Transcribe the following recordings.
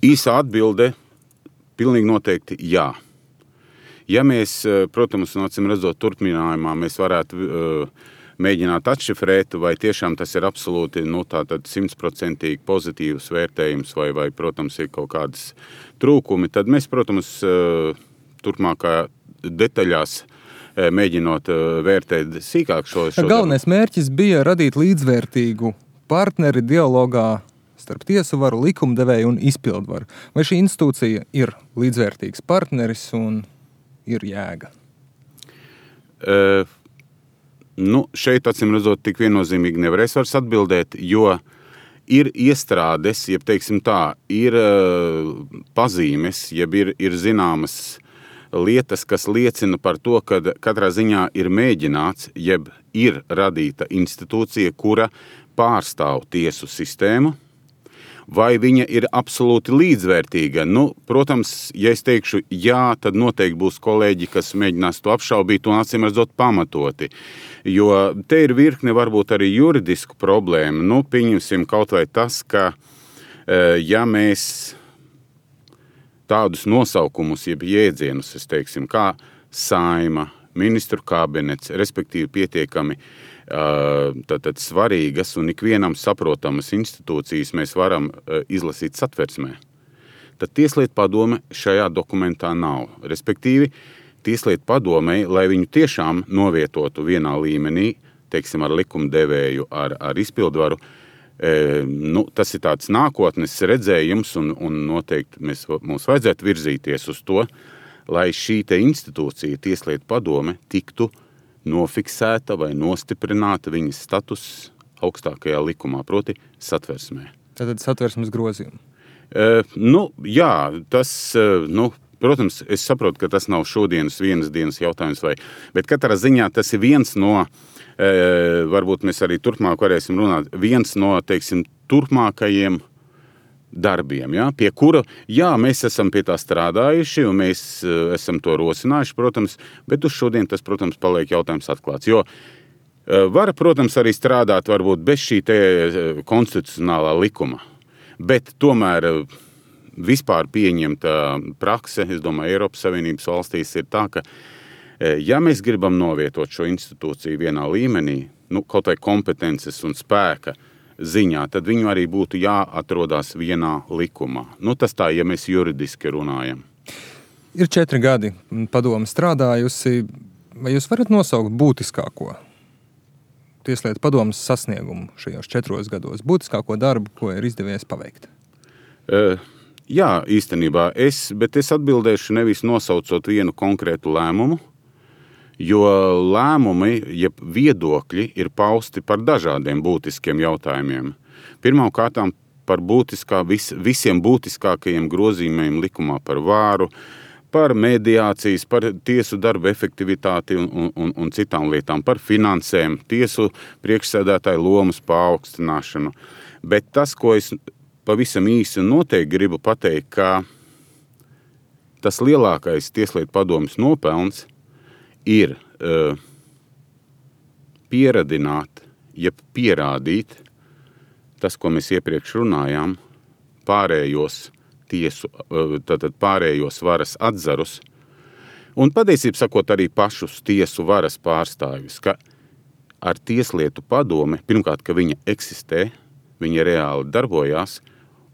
Īsa atbilde pilnīgi noteikti jā. Ja mēs, protams, acīm redzot turpinājumā, mēs varētu mēģināt atšifrēt, vai tiešām tas ir absolūti 100% pozitīvs vērtējums, vai, protams, ir kaut kādas trūkumi, tad mēs, protams, turpmākā detaļās mēģinot vērtēt sīkāk šo Galvenais mērķis bija radīt līdzvērtīgu partneri dialogā starp tiesu varu, likumdevēju un izpildvaru. Vai šī institūcija ir līdzvērtīgs partneris un ir jēga? Šeit, acīm redzot, tik viennozīmīgi nevarēs vairs atbildēt, jo ir iestrādes, jeb teiksim tā, ir pazīmes, jeb ir zināmas lietas, kas liecina par to, ka katrā ziņā ir mēģināts, jeb ir radīta institūcija, kura pārstāv tiesu sistēmu, vai viņa ir absolūti līdzvērtīga. Protams, ja es teikšu jā, tad noteikti būs kolēģi, kas mēģinās to apšaubīt un acīm redzot pamatoti. Jo te ir virkne varbūt arī juridisku problēmu. Pieņemsim kaut vai tas, ka ja mēs tādus nosaukumus, jeb jēdzienus, kā Saeima, ministru kabinets, respektīvi pietiekami tātad svarīgas un ikvienam saprotamas institūcijas mēs varam izlasīt satversmē, tad Tieslietu padome šajā dokumentā nav. Respektīvi, Tieslietu padomei, lai viņu tiešām novietotu vienā līmenī, teiksim, ar likumdevēju, ar izpildvaru, tas ir tāds nākotnes redzējums un noteikti mums vajadzētu virzīties uz to, lai šī te institūcija, Tieslietu padome, tiktu nofiksēta vai nostiprināta viņas status augstākajā likumā, proti satversmē. Tātad satversmes grozījumi. Jā, tas, protams, es saprotu, ka tas nav šodienas vienas dienas jautājums, bet katrā ziņā tas ir viens no, varbūt mēs arī turpmāk varēsim runāt, viens no, teiksim, turpmākajiem darbiem, pie kura, mēs esam pie tā strādājuši un mēs esam to rosinājuši, protams, bet uz šodien tas, protams, paliek jautājums atklāts. Jo var, protams, arī strādāt varbūt bez šī te konstitucionālā likuma, bet tomēr vispār pieņemta prakse, es domāju, Eiropas Savienības valstīs ir tā, ka ja mēs gribam novietot šo institūciju vienā līmenī, kaut vai kompetences un spēka ziņā, tad viņu arī būtu jāatrodās vienā likumā. Tas tā, ja mēs juridiski runājam. Ir 4 gadi padome strādājusi. Vai jūs varat nosaukt būtiskāko Tieslietu padomes sasniegumu šajos 4 gados? Būtiskāko darbu, ko ir izdevies paveikt? Jā, īstenībā. Bet es atbildēšu nevis nosaucot vienu konkrētu lēmumu, jo lēmumi, jeb viedokļi ir pausti par dažādiem būtiskiem jautājumiem. Pirmkārtām par visiem būtiskākajiem grozījumiem likumā par vāru, par mediācijas, par tiesu darba efektivitāti un citām lietām, par finansēm, tiesu priekšsēdētāju lomas paaugstināšanu. Bet tas, ko es pavisam īsi un noteikti gribu pateikt, ka tas lielākais Tieslietu padomes nopelns ir pieradināt, jeb pierādīt tas, ko mēs iepriekš runājām, pārējos varas atzarus un patiesībā sakot arī pašus tiesu varas pārstāvjus, ka ar Tieslietu padome, pirmkārt, ka viņa eksistē, viņa reāli darbojās,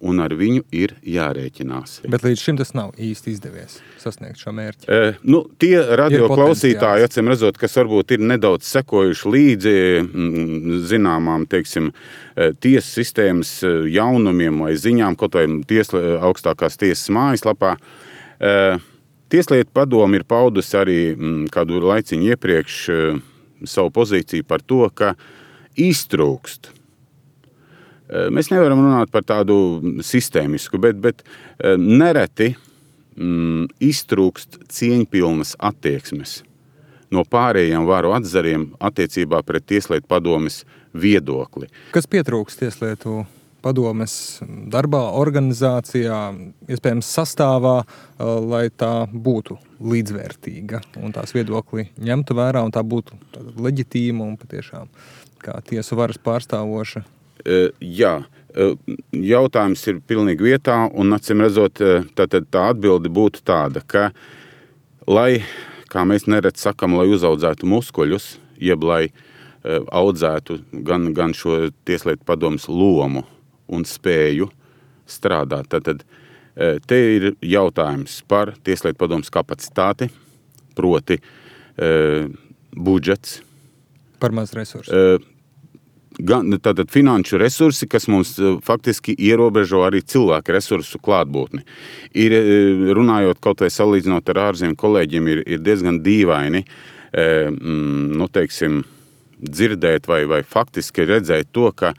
un ar viņu ir jārēķinās. Bet līdz šim tas nav īsti izdevies sasniegt šo mērķi. Tie radioklausītāji, acīm redzot, kas varbūt ir nedaudz sekojuši līdzi zināmām, teiksim, tiesu sistēmas jaunumiem vai ziņām, kaut vai augstākās tiesas mājaslapā. Tieslietu padome ir paudusi arī kādu laiciņu iepriekš savu pozīciju par to, ka iztrūkst. Mēs nevaram runāt par tādu sistēmisku, bet nereti iztrūkst cieņpilnas attieksmes no pārējiem varu atzariem attiecībā pret Tieslietu padomes viedokli. Kas pietrūkst Tieslietu padomes darbā, organizācijā, iespējams sastāvā, lai tā būtu līdzvērtīga un tās viedokli ņemtu vērā un tā būtu leģitīma un patiešām kā tiesu varas pārstāvoša? Jā, Jautājums ir pilnīgi vietā, un acīm redzot, tā atbilde būtu tāda, ka, lai, kā mēs neredz sakam, lai uzaudzētu muskuļus, jeb lai audzētu gan šo Tieslietu padomes lomu un spēju strādāt, tad te ir jautājums par Tieslietu padomes kapacitāti, proti budžets. Par maz resursu. Tātad finanšu resursi, kas mums faktiski ierobežo arī cilvēku resursu klātbūtni. Runājot kaut vai salīdzinot ar ārzemju kolēģiem, ir diezgan dīvaini, dzirdēt vai faktiski redzēt to, ka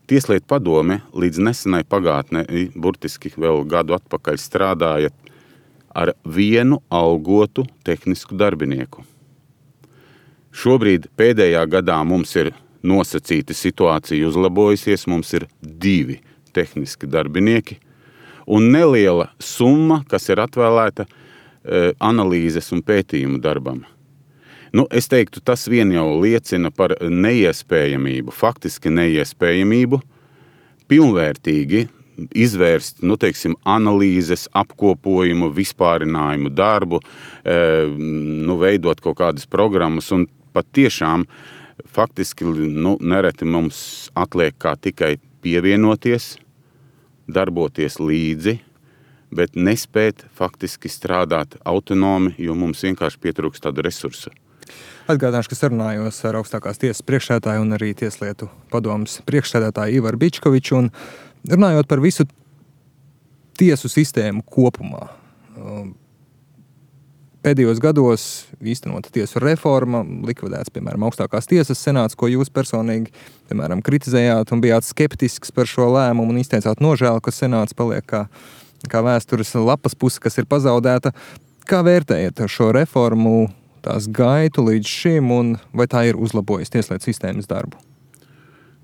Tieslietu padome līdz nesenai pagātnē, burtiski vēl gadu atpakaļ strādāja ar vienu algotu tehnisku darbinieku. Šobrīd pēdējā gadā mums ir nosacīta situācija uzlabojusies, mums ir 2 tehniski darbinieki un neliela summa, kas ir atvēlēta analīzes un pētījumu darbam. Es teiktu, tas vien jau liecina par neiespējamību, faktiski neiespējamību, pilnvērtīgi izvērst, analīzes, apkopojumu, vispārinājumu darbu, veidot kaut kādas programmas un pat tiešām faktiski nereti mums atliek kā tikai pievienoties, darboties līdzi, bet nespēt faktiski strādāt autonomi, jo mums vienkārši pietrūkst tādu resursu. Atgādināšu, ka sarunājos ar augstākās tiesas priekšsēdētāju un arī Tieslietu padomes priekšsēdētāju Ivaru Bičkoviču un runājot par visu tiesu sistēmu kopumā. Pēdējos gados īstenota tiesu reforma, likvidēts, piemēram, augstākās tiesas senāts, ko jūs personīgi, piemēram, kritizējāt un bijāt skeptisks par šo lēmumu un izteicāt nožēlu, ka senāts paliek kā vēstures lapas puse, kas ir pazaudēta. Kā vērtējat šo reformu, tās gaitu līdz šim un vai tā ir uzlabojusi tieslietu sistēmas darbu?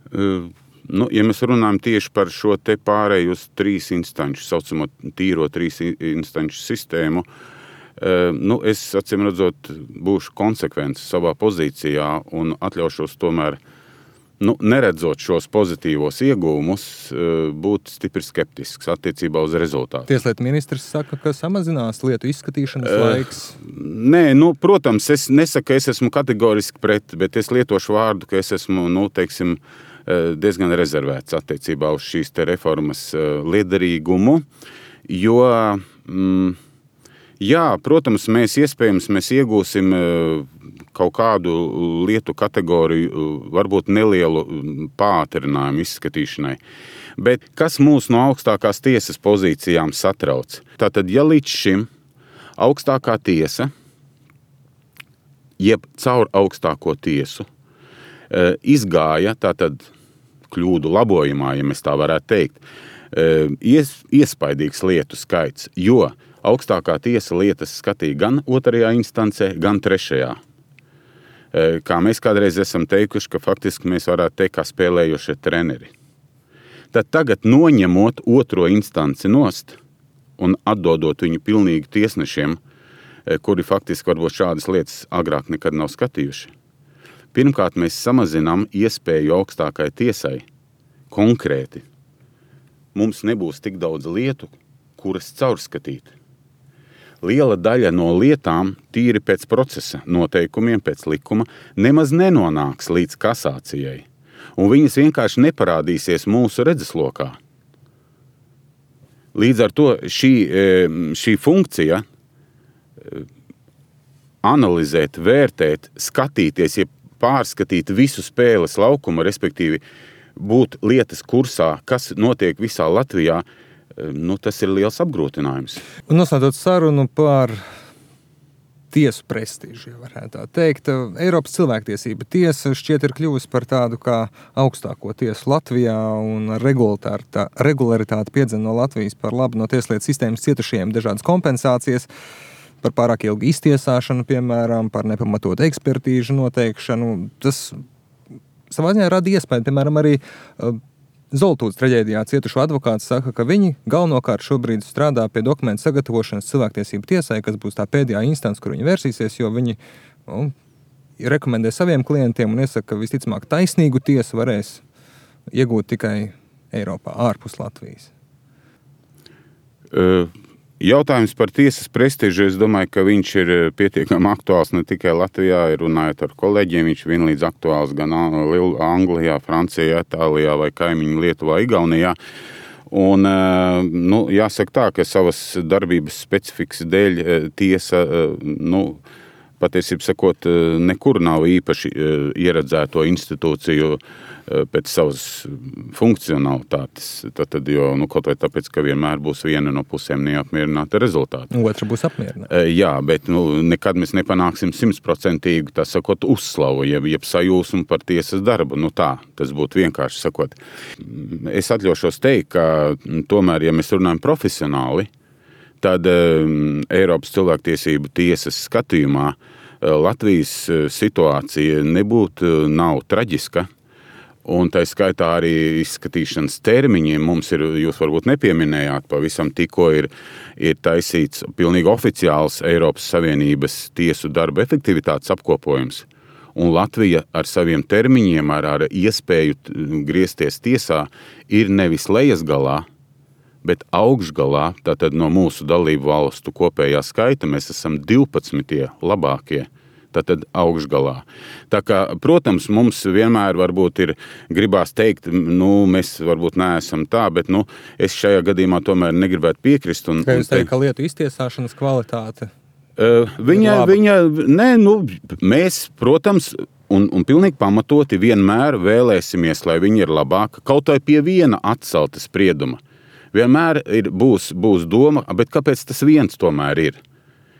Ja mēs runājam tieši par šo te pārēju uz 3 instanču, saucamo tīro 3 instanču sistēmu, es, acīm redzot, būšu konsekvents savā pozīcijā un atļaušos tomēr, neredzot šos pozitīvos ieguvumus, būt stipri skeptisks attiecībā uz rezultātu. Tieslietu ministrs saka, ka samazinās lietu izskatīšanas laiks. Nē, protams, es nesaku, ka es esmu kategoriski pret, bet es lietošu vārdu, ka es esmu, diezgan rezervēts attiecībā uz šīs te reformas liederīgumu, jo jā, protams, mēs iegūsim kaut kādu lietu kategoriju, varbūt nelielu pātrinājumu izskatīšanai. Bet kas mūs no augstākās tiesas pozīcijām satrauc? Tātad, ja līdz šim augstākā tiesa, jeb caur augstāko tiesu, izgāja tātad kļūdu labojumā, ja mēs tā varētu teikt, iespaidīgs lietu skaits, jo augstākā tiesa lietas skatīja gan 2. instancē, gan 3. Kā mēs kādreiz esam teikuši, ka faktiski mēs varētu teikt, kā spēlējošie treneri. Tad tagad noņemot 2. instanci nost un atdodot viņu pilnīgi tiesnešiem, kuri faktiski varbūt šādas lietas agrāk nekad nav skatījuši. Pirmkārt, mēs samazinām iespēju augstākai tiesai konkrēti. Mums nebūs tik daudz lietu, kuras caurskatīt. Liela daļa no lietām, tīri pēc procesa noteikumiem, pēc likuma, nemaz nenonāks līdz kasācijai, un viņas vienkārši neparādīsies mūsu redzeslokā. Līdz ar to šī funkcija analizēt, vērtēt, skatīties, ja pārskatīt visu spēles laukumu, respektīvi būt lietas kursā, kas notiek visā Latvijā, tas ir liels apgrūtinājums. Un noslēdzot sarunu par tiesu prestižu, ja varētu tā teikt, Eiropas cilvēktiesība tiesa šķiet ir kļuvusi par tādu kā augstāko tiesu Latvijā un regularitāti piedzen no Latvijas par labu no tieslietu sistēmas cietušajiem dažādas kompensācijas, par pārāk ilgu iztiesāšanu, piemēram, par nepamatotu ekspertīžu noteikšanu. Tas savā ziņā rada iespēju, piemēram, arī Zoltūdas traģēdijā cietušo advokāts saka, ka viņi galvenokārt šobrīd strādā pie dokumentu sagatavošanas cilvēktiesību tiesai, kas būs tā pēdējā instance, kur viņi versīsies, jo viņi rekomendē saviem klientiem un iesaka, ka visticamāk taisnīgu tiesu varēs iegūt tikai Eiropā, ārpus Latvijas? Jautājums par tiesas prestižu, es domāju, ka viņš ir pietiekami aktuāls ne tikai Latvijā, runājot ar kolēģiem, viņš vienlīdz aktuāls gan Anglijā, Francijā, Itālijā vai kaimiņu Lietuvā, Igaunijā. Un, jāsaka tā, ka savas darbības specifikas dēļ tiesa, patiesībā sakot, nekur nav īpaši ieredzēto institūciju pēc savas funkcionalitātes. Tad, kaut vai tāpēc, ka vienmēr būs viena no pusēm neapmierināta rezultāta. Otra būs apmierināta. Jā, bet nekad mēs nepanāksim 100%, tā sakot, uzslavu, jeb sajūsmu par tiesas darbu. Tas būtu vienkārši sakot. Es atļaušos teikt, ka tomēr, ja mēs runājam profesionāli, tad Eiropas cilvēktiesību tiesas skatījumā Latvijas situācija nav traģiska. Un tā skaitā arī izskatīšanas termiņiem mums ir, jūs varbūt nepieminējāt, pavisam tikko ir taisīts pilnīgi oficiāls Eiropas Savienības tiesu darba efektivitātes apkopojums. Un Latvija ar saviem termiņiem, ar iespēju griezties tiesā, ir nevis lejasgalā, bet augšgalā. Tātad no mūsu dalību valstu kopējā skaita mēs esam 12. labākie. Tātad augšgalā. Tā kā, protams, mums vienmēr varbūt gribās teikt, mēs varbūt neesam tā, bet es šajā gadījumā tomēr negribētu piekrist. Kā jūs teikt, ka lietu iztiesāšanas kvalitāte? Mēs, protams, un pilnīgi pamatoti vienmēr vēlēsimies, lai viņi ir labāka, kaut vai pie viena atcelta sprieduma. Vienmēr būs doma, bet kāpēc tas viens tomēr ir?